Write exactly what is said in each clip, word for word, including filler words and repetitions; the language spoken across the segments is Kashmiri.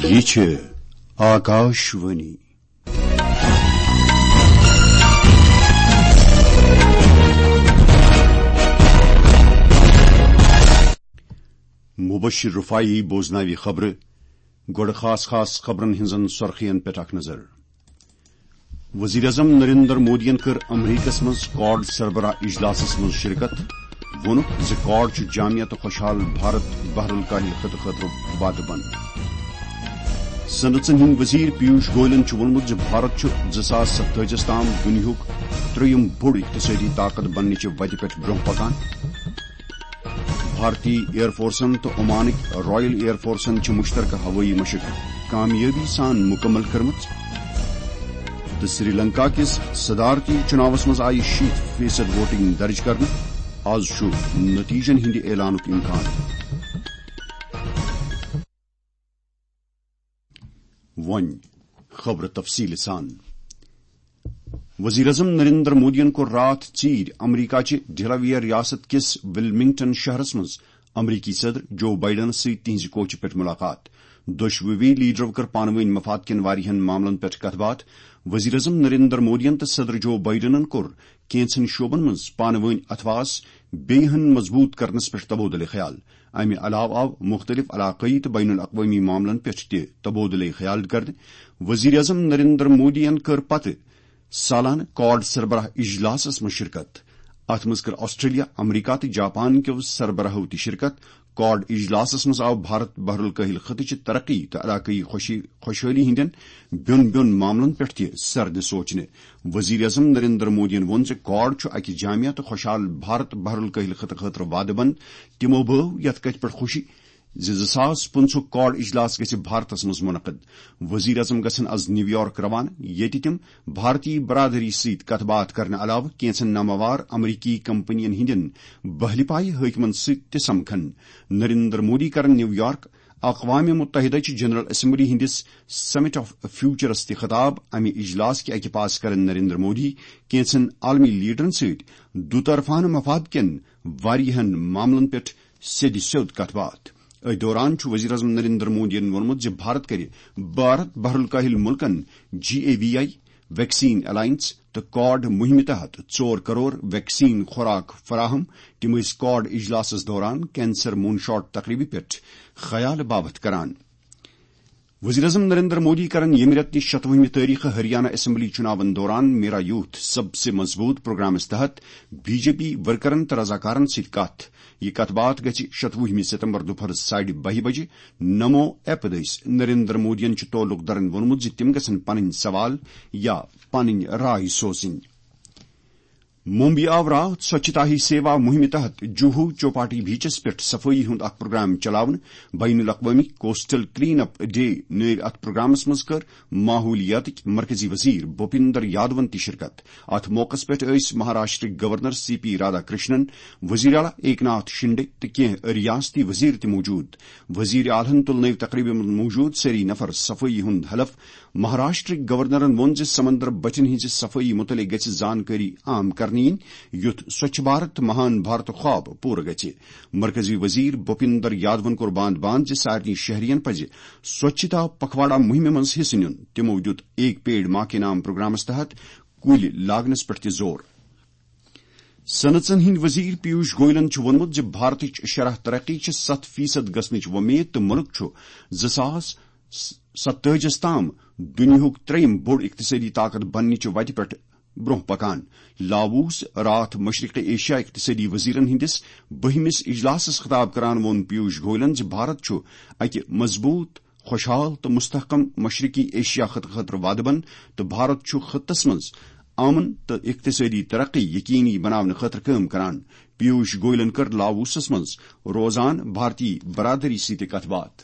یہِ چھِ آکاشوانی۔ مبشر رفاعی بوزناوِ خبرٕ۔ گۄڈٕ خاص خاص خبرن ہٕنٛزن سرخین پٮ۪ٹھ اکھ نظر۔ وزیر اعظم نریندر مودیَن کٔر امریکہس منٛز کواڈ سربراہ اجلاسس منٛز شرکت۔ ووٚنُکھ زِ کواڈ چھُ جامع تہٕ خوشحال بھارت بحر الکاہل خطہٕ خٲطرٕ وعدٕ بنٛد۔ صنعژن ہٕنٛدۍ وزیر پیوش گویلن چھُ ووٚنمُت زِ بھارت چھُ زٕ ساس ستٲجِس تام دُنیاہُک ترٛیٚیِم بوٚڑ اقتصٲدی طاقت بننٕچہِ وتہِ پٮ۪ٹھ برٛونٛہہ پکان۔ بھارتی ایئر فورسن تہٕ عمانٕکۍ رائل ایئر فورسن چھِ مشترکہ ہوٲیی مشق کامیٲبی سان مکمل کٔرمٕژ۔ تہٕ سری لنکا کِس صدارتی چُناوس منٛز آیہِ شیٖتھ فیصد ووٹنگ درج کرنہٕ۔ آز چھُ نتیجن ہٕنٛدِ اعلانُک امکان۔ وۄنۍ خبرٕ تفصیٖل سان۔ وزیر اعظم نریندر مودیَن کوٚر راتھ ژیٖرۍ امریکہ چہِ ڈیلاویئر ریاست کِس ولمنگٹن شہرس منٛز امریکی صدر جو بائیڈنس سۭتۍ تِہنٛزِ کوٹھہِ پٮ۪ٹھ ملاقات۔ دۄشوٕے لیڈرو کٔر پانہٕ وٲنۍ مفاد کٮ۪ن واریاہن معاملن پٮ۪ٹھ کتھ باتھ۔ وزیر اعظم نریندر مودیَن تہٕ صدر جو بائیڈنن کوٚر کینٛژن شعبن منٛز پانہٕ وٲنۍ اتھواس بیٚیہِ ہن مضبوط کرنس پٮ۪ٹھ تبادلہٕ خیال۔ امہِ علاوٕ آو مُختٔلِف علاقٲیی تہٕ بین الاقوٲمی معاملن پٮ۪ٹھ تہِ تبادلہٕ خیال کرنہٕ۔ وزیر اعظم نریندر مودیَن کٔر پتہٕ سالانہٕ کواڈ سربراہ اجلاسس منٛز شرکت۔ اتھ منٛز کٔر آسٹریلیا، امریکہ تہٕ جاپان کیو سربراہو تہِ شرکت۔ کواڈ اجلاسس منٛز آو بھارت بحر الکاہل خطہٕ چہِ ترقی تہٕ علاقٲیی خوشی-، خوشحٲلی ہٕنٛدٮ۪ن بیوٚن بیوٚن معاملن پٮ۪ٹھ تہِ سرد سوچنہٕ۔ وزیر اعظم نریندر مودیَن ووٚن زِ کواڈ چھُ اکہِ جامع تہٕ خوشحال بھارت بحر الکاہل خطہٕ خٲطرٕ وعدٕ بنٛد۔ تِمو بٲو یتھ کتھِ پٮ۪ٹھ خوشی زِ زٕ ساس پٕنٛژٕہُک کواڈ اجلاس گژھِ بھارتس منٛز منعقد۔ وزیر اعظم گژھن از نیویارک روانہٕ، ییٚتہِ تِم بھارتی برادری سۭتۍ کتھ باتھ کرنہٕ علاوٕ کینٛژن ناماوار امریکی کمپنین ہٕنٛدٮ۪ن بہلہِ پایہِ حٲکمن سۭتۍ تہِ سمکھن۔ نریندر مودی کرن نیویارک اقوام متحدہ چہِ جنرل اسمبلی ہٕنٛدِس سمٹ آف فیوچرس تہِ خطاب۔ امہِ اجلاس کہِ اکہِ پاس کرن نریندر مودی کینٛژن عالمی لیڈرن سۭتۍ دُطرفانہٕ مفاد کٮ۪ن واریاہن معاملن پٮ۪ٹھ سیٚدِ سیوٚد کتھ باتھ۔ أتھۍ دوران چھُ وزیر اعظم نریندر مودیَن ووٚنمُت زِ بھارت کرِ بھارت بحر الکاہل ملکن G A V I, vaccine alliance تہٕ کواڈ مہمہِ تحت ژور کرور ویکسین خوراک فراہم۔ تِم ٲسۍ کواڈ اجلاسس دوران کینسر مون شاٹ تقریبہِ پٮ۪ٹھ خیال باپتھ کران۔ وزیر اعظم نریندر مودی کرن ییٚمہِ رٮ۪تہٕ شتوُہمہِ تٲریخہٕ ہریانہ اسمبلی چُناون دوران میرا یوتھ سب سے مضبوط پروگرامس تحت بی جے پی ورکرن تہٕ رضاکارن سۭتۍ کتھ۔ یہِ کتھ باتھ گژھِ شتوُہمہِ ستمبر دُپہر ساڑِ بہہِ بجہِ نمو ایپ دٔسۍ نریندر مودیَن چھُ تعلق دارن ووٚنمُت زِ تِم گژھن پنٕنۍ سوال یا پنٕنۍ راے سوزٕنۍ۔ ممبئی آو راتھ سوچھتا ہی سیوا مہمہِ تحت جوہو چوپاٹی بیچس پٮ۪ٹھ صفٲیی ہُنٛد اکھ پروگرام چلاونہٕ۔ بین الاقوٲمی کوسٹل کلین اپ ڈے نٲوۍ اتھ پروگرامس منٛز کٔر ماحولیاتٕکۍ مرکزی وزیر بھوپیندر یادون تہِ شرکت۔ اتھ موقعس پٮ۪ٹھ ٲسۍ مہاراشٹرٕکۍ governor C P Radhakrishnan, وزیر اعلیٰ ایک ناتھ شنڈے تہٕ کینٛہہ ریاستی وزیر تہِ موجود۔ وزیر اعلیٰ ہن تُل نٲوۍ تقریبہِ منٛز موجود سٲری نفر صفٲیی ہُنٛد حلف۔ مہاراشٹرٕکۍ گورنرن ووٚن زِ سمندر بٹھٮ۪ن ہٕنٛزِ صفٲیی مُتعلق گژھِ زانکٲری عام کرنہٕ یِنۍ، یُتھ سوچھ بھارت مہان بھارت خواب پوٗرٕ گژھِ۔ مرکزی وزیر بھوپیندر یادون کوٚر باند باند زِ سارنٕے شہرین پزِ سوچھتا پکھواڑا مہمہِ منٛز حصہٕ نیُن۔ تِمو دیُت ایک پیڑ ماں کے نام پروگرامس تحت کُلۍ لاگنس پٮ۪ٹھ تہِ زور۔ صنعژن ہٕنٛدۍ وزیر پیوش گویلن چھُ ووٚنمُت زِ بھارتٕچ شرح ترقی چھِ ستھ فیصد گژھنٕچ وۄمید تہٕ مُلک چھُ زٕ ساس ستٲجِس تام دُنیاہُک ترٛیٚیِم بوٚڑ اقتصٲدی طاقت بننٕچہِ وتہِ پٮ۪ٹھ برٛونٛہہ پکان۔ لاووس راتھ مشرق ایشیا اقتصٲدی وزیرن ہٕنٛدِس بٔہمِس اجلاسس خطاب کران ووٚن پیوش گویلن زِ بھارت چھُ اکہِ مضبوط، خوشحال تہٕ مستحکم مشرقی ایشیا خطہٕ خٲطرٕ وعدٕ بنٛد تہٕ بھارت چھُ خطس منٛز امن تہٕ اقتصٲدی ترقی یقینی بناونہٕ خٲطرٕ کٲم کران۔ پیوش گویلن کٔر لاووسس منٛز روزان بھارتی برادری سۭتۍ کتھ باتھ۔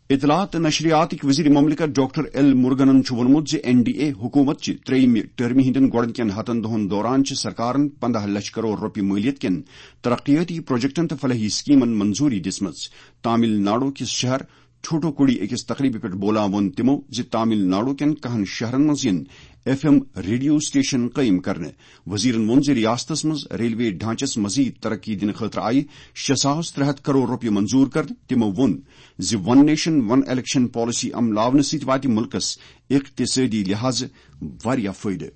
اطلاعات تہٕ نشریاتٕکۍ وزیر مملکت ڈاکٹر ایل مرگنن چھُ ووٚنمُت زِ این ڈی اے حکومت چہِ ترٛیٚیِمہِ ٹرمہِ ہٕنٛدٮ۪ن گۄڈٕنِکٮ۪ن ہتن دۄہن دوران چھِ سرکارن پنداہ لچھ کرور رۄپیہِ مٲلیت کٮ۪ن ترقیٲتی پروجیکٹن تہٕ فلاحی سکیمن منظوٗری دِژمٕژ۔ تامل ناڈو کِس شہر تھوٹوکوڈی أکِس تقریبہِ پٮ۪ٹھ بولان ووٚن تِمو زِ تامل ناڈو کٮ۪ن کہن شہرن منٛز یِن ایف ایم ریڈیو سٹیشن قٲیِم کرنہٕ۔ وزیرن ووٚن زِ ریاستس منٛز ریلوے ڈھانچس مزید ترقی دِنہٕ خٲطرٕ آیہِ شےٚ ساس ترٛےٚ ہتھ کرور رۄپیہِ منظور کرنہٕ۔ تِمو ووٚن زِ ون نیشن ون الیکشن پالیسی عملاونہٕ سۭتۍ واتہِ مُلکس اقتصٲدی لحاظہٕ واریاہ فٲیدٕ۔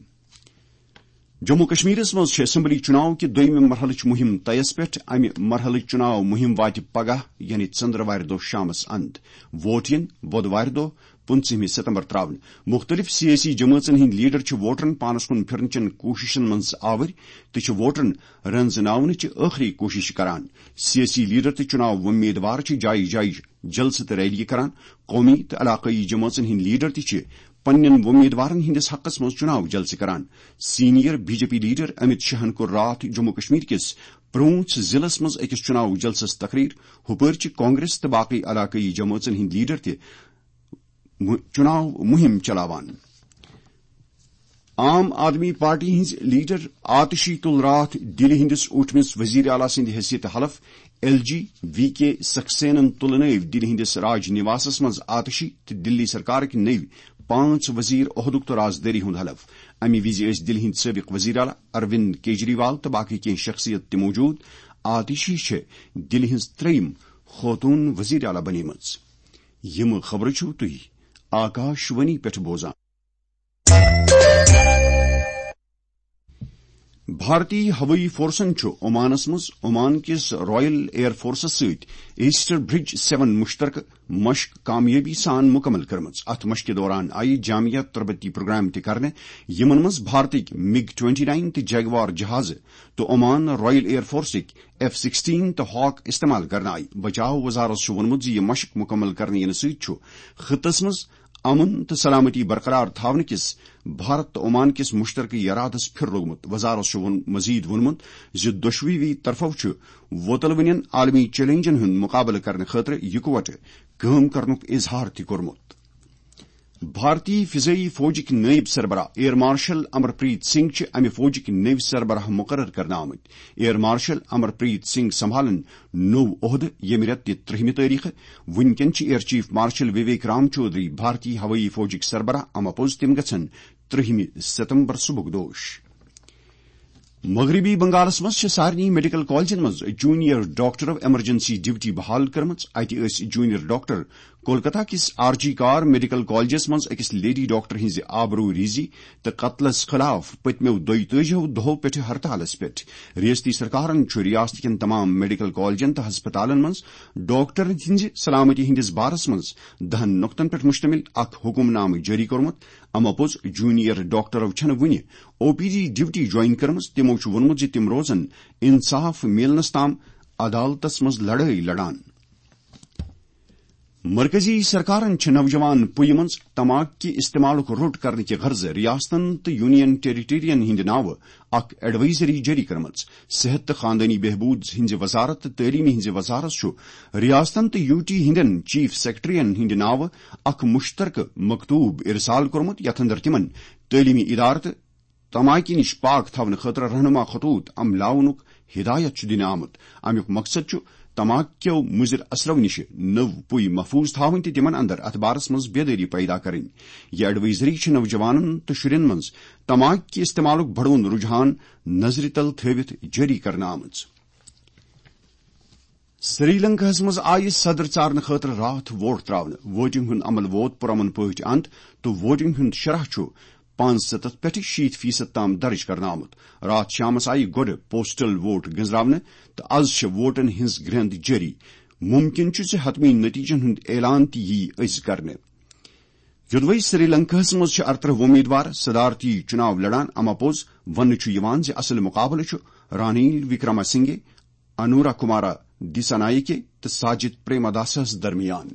جموں کشمیرس منٛز چھِ اسمبلی چُناو کہِ دوٚیمہِ مرحلٕچ مُہِم طیس پٮ۪ٹھ۔ امہِ مرحلٕچ چُناو مُہِم واتہِ پگاہ، یعنی ژٔنٛدروارِ دۄہ شامس اند۔ ووٹ یِن بۄدوارِ دۄہ، پٕنٛژٕہمہِ ستمبر تراونہٕ۔ مُختٔلِف سیٲسی جمٲژن ہٕنٛدۍ لیڈر چھِ ووٹرن پانس کُن پھِرنہٕ چٮ۪ن کوٗششن منٛز آوٕرۍ تہٕ چھِ ووٹرن رنزناونٕچ ٲخری کوٗشش کران۔ سیٲسی لیڈر تہٕ چُناو وۄمیدوار چھِ جایہِ جایہِ جلسہٕ تہٕ ریلیہِ کران۔ قومی تہٕ علاقٲیی جمٲژن ہٕنٛدۍ لیڈر تہِ چھِ پننٮ۪ن وۄمیدوارن ہٕنٛدِس حقس منٛز چُناو جلسہٕ کران۔ Senior B J P leader Amit شاہن کوٚر راتھ جموں کشمیر کِس پرونچھ ضلعس منٛز أکِس چُناو جلسس تقریر۔ ہُپٲرۍ چھِ کانگریس تہٕ باقٕے علاقٲیی جمٲژن ہٕنٛدۍ لیڈر تہِ مُ-، چُناو مُہِم چلاوان۔ عام آدمی پارٹی ہٕنٛز لیڈر آتشی تُل راتھ دِلہِ ہٕنٛدِس اوٗٹھمِس وزیر اعلیٰ سٕنٛدِ حیثیت حلف۔ ایل جی وی کے سکسینن تُل نٲوۍ دِلہِ ہٕنٛدِس راج نِواسس منٛز آتشی تہٕ دِلی سرکارٕکۍ نٔوۍ پانٛژھ وزیر عہدُک تہٕ رازدٲری ہُنٛد حلف۔ اَمہِ وِزِ ٲسۍ دِلہِ ہٕنٛدۍ سٲبِق وزیر اعلیٰ اروند کیجریوال تہٕ باقٕے کینٛہہ شخصیت تہِ موجود۔ آتشی چھےٚ دِلہِ ہٕنٛز ترٛیٚیِم خوتوٗن وزیر اعلیٰ بنیمٕژ۔ یِم خبرٕ چھِو تُہۍ آکاش وانی پٮ۪ٹھ بوزان۔ بھارتی ہوٲیی فورسن چھُ عمانس منٛز عمان کِس رائل ایئر فورسس سۭتۍ ایسٹر برج سیون مشترکہٕ مشق کامیٲبی سان مکمل کٔرمٕژ۔ اتھ مشقہِ دوران آیہِ جامعہ تربتی پروگرام تہِ کرنہٕ، یِمن منٛز بھارتٕکۍ مِگ ٹوئنٹی نائن تہٕ جیگوار جہازٕ تہٕ عمان رائل ایئر فورسٕکۍ ایف سکسٹین تہٕ ہاک استعمال کرنہٕ آیہِ۔ بچاو وزارت چھُ ووٚنمُت زِ یہِ مشق مکمل کرنہٕ یِنہٕ سۭتۍ چھُ خطس منٛز امن تہٕ سلامتی برقرار تھاونہٕ کِس بھارت تہٕ عمان کِس مشترکہٕ ارادس پھِر لوٚگمُت۔ وزارت چھُ ووٚن-، مزید ووٚنمُت زِ دۄشوٕے طرفو چھُ وۄتلوٕنٮ۪ن عالمی چیلنجن ہُنٛد مقابلہٕ کرنہٕ خٲطرٕ یکوٹہٕ کٲم کرنُک اظہار تہِ کوٚرمُت۔ بھارتی فضائی فوجٕکۍ نائب سربراہ air marshal Amarpreet Singh چھِ امہِ فوجٕکۍ نٔوۍ سربراہ مقرر کرنہٕ آمٕتۍ۔ Air marshal Amarpreet Singh سنبھالن نوٚو عہدٕ ییٚمہِ رٮ۪تہٕ تہِ ترٛہمہِ تٲریخہٕ۔ وُنکٮ۪ن چھِ air chief marshal Vivek Ram Chaudhari بھارتی ہوٲیی فوجٕکۍ سربراہ، اما پوٚز تِم گژھن ترٛہمہِ ستمبر صبحُک دوش۔ مغربی بنگالس منٛز چھِ سارنٕے میڈیکل کالجن منٛز جونیئر ڈاکٹرو ایمرجنسی ڈیوٹی بحال کٔرمٕژ۔ اتہِ ٲسۍ جونیئر ڈاکٹر کولکتہ کِس آر جی کار میڈیکل کالجس منٛز أکِس لیڈی ڈاکٹر ہٕنٛزِ آبروٗ ریزی تہٕ قتلس خلاف پٔتمیو دۄیتٲجیو دۄہو پٮ۪ٹھٕ ہڑتالس پٮ۪ٹھ۔ ریاستی سرکارن چھُ ریاست کٮ۪ن تمام میڈیکل کالجن تہٕ ہسپتالن منٛز ڈاکٹرن ہٕنٛزِ سلامتی ہٕنٛدِس بارس منٛز دہن نقطن پٮ۪ٹھ مشتمل اکھ حکم نامہٕ جٲری کوٚرمُت۔ اما پوٚز جونیئر ڈاکٹرو چھنہٕ وُنہِ او پی ڈی ڈیوٹی جوائن کٔرمٕژ۔ تِمو چھُ ووٚنمُت زِ تِم روزن انصاف میلنس تام عدالتس منٛز لڑٲے لڑان۔ مرکزی سرکارن چھِ نوجوان پُیہِ منٛز تماک کہِ استعمالُک روٚٹ کرنہٕ کہِ غرضہٕ ریاستن تہٕ یونین ٹیریٹریَن ہٕنٛدِ ناوٕ اکھ ایڈوائزری جٲری کٔرمٕژ۔ صحت تہٕ خاندٲنی بہبود ہٕنٛزِ وزارت تہٕ تعلیمہِ ہٕنٛزِ وزارت چھُ ریاستن تہٕ یو ٹی ہٕنٛدٮ۪ن چیف سیکرٹریَن ہٕنٛدِ ناوٕ اکھ مشترکہٕ مکتوب ارسال کوٚرمُت، یتھ اندر تِمن تعلیمی ادارٕ تہٕ تماکہِ نِش پاک تھاونہٕ خٲطرٕ رہنما خطوط عملاونُک ہدایت چھُ دِنہٕ آمُت۔ امیُک مقصد چھُ تماک کیو مضر اثرو نِش نٔو پُے محفوظ تھاوٕنۍ تہٕ تِمن اندر اتھ بارس منٛز بیدٲری پیدا کرٕنۍ۔ یہِ ایڈوائزری چھِ نوجوانن تہٕ شُرٮ۪ن منٛز تماک کہِ استعمالُک بڑوُن رجحان نظرِ تل تھٲوِتھ جٲری کرنہٕ آمٕژ۔ سری لنکاہس منٛز آیہِ صدر ژارنہٕ خٲطرٕ راتھ ووٹ تراونہٕ۔ ووٹنگ ہُنٛد عمل ووت پرامن پٲٹھۍ اند تہٕ ووٹنگ ہُنٛد شرح چھُ پانٛژستتھ پٮ۪ٹھٕ شیٖتھ فیصد تام درج کرنہٕ آمُت۔ راتھ شامس آیہِ گۄڈٕ پوسٹل ووٹ گنزراونہٕ تہٕ از چھِ ووٹن ہٕنٛز گرٛنٛد جٲری۔ مُمکِن چھُ زِ حتمی نتیجن ہُنٛد اعلان تہِ یِیہِ أزۍ کرنہٕ۔ یوٚدوَے سری لنکاہس منٛز چھِ ارترٕہ وۄمیدوار صدارتی چُناو لڑان، اما پوٚز وننہٕ چھُ یِوان زِ اصل مقابلہٕ چھُ رانیل وکرما سنگھے، انورا کمارا دیسانایکے تہٕ ساجد پریماداسس درمیان۔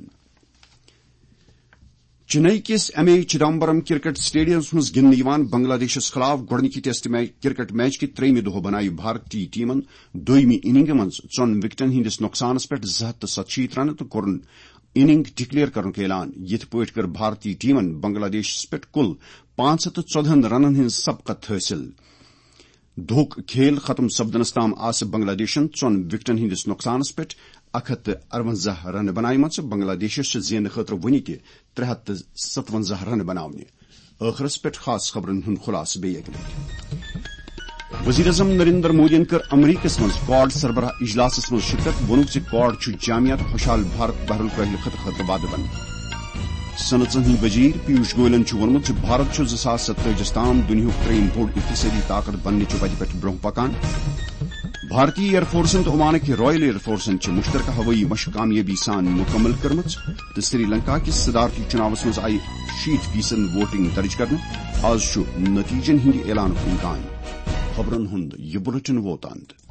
چنئی کِس ایم اے چدمبرم کرکٹ سٹیڈیمس منٛز گِنٛدنہٕ یِوان بنگلہ دیشس خلاف گۄڈٕنِکہِ ٹیسٹ میچ، کرکٹ میچ کہِ ترٛیٚیمہِ دۄہ بنایہِ بھارتی ٹیمن دوٚیمہِ اننگہِ منٛز ژۄن وکٹن ہٕنٛدِس نۄقصانس پٮ۪ٹھ زٕ ہتھ تہٕ ستشیٖتھ رنہٕ تہٕ کوٚرُن اننگ ڈکلیئر کرنُک اعلان۔ یِتھ پٲٹھۍ کٔر بھارتی ٹیمن بنگلہ دیشس پٮ۪ٹھ کُل پانٛژھ ہتھ تہٕ ژۄدہن رنن ہٕنٛز سبقت حٲصِل۔ دھوکھ کھیل ختم سپدنس تام آسہٕ بنگلہ دیشن ژۄن وکٹن ہٕنٛدِس نۄقصانس پٮ۪ٹھ اکھ ہتھ تہٕ ارونزاہ رنہٕ بناومژٕ۔ بنگلہ دیشس چھِ زینہٕ خٲطرٕ وُنہِ تہِ ترٛےٚ ہتھ تہٕ ستونزاہ رنہٕ بناونہِ۔ ٲخرس پٮ۪ٹھ خاص خبرن ہُنٛد خلاصہٕ بیٚیہِ اکہِ لٹہِ۔ وزیر اعظم نریندر مودیَن کٔر امریکس منٛز کواڈ سربراہ اجلاسس منٛز شرکت۔ ووٚنُکھ زِ کواڈ چھُ جامع تہٕ خوشحال بھارت بحر الکاہل خطہٕ خٲطرٕ وعدٕ بنٛد۔ صنعژن ہٕنٛدۍ وزیر پیوش گویلن چھُ ووٚنمُت زِ بھارت چھُ زٕ ساس ستٲجِس تام دُنیاہُک ترٛیٚیِم بوٚڑ اقتصٲدی طاقت بننٕچہِ وتہِ پٮ۪ٹھ برٛونٛہہ پکان۔ بھارتی ایئر فورسن تہٕ عمانٕکۍ رائل ایئر فورسن چھِ مشترکہ ہوٲیی مشق کامیٲبی سان مکمل کٔرمٕژ تہٕ سری لنکا کِس صدارتی چُناوس منٛز آیہِ شیٖتھ فیصد ووٹنگ درج کرنہٕ۔ آز چھُ نتیجن ہٕنٛدِ اعلانُک امکان۔ خبرن ہُنٛد یہِ بُلٹن ووت اند۔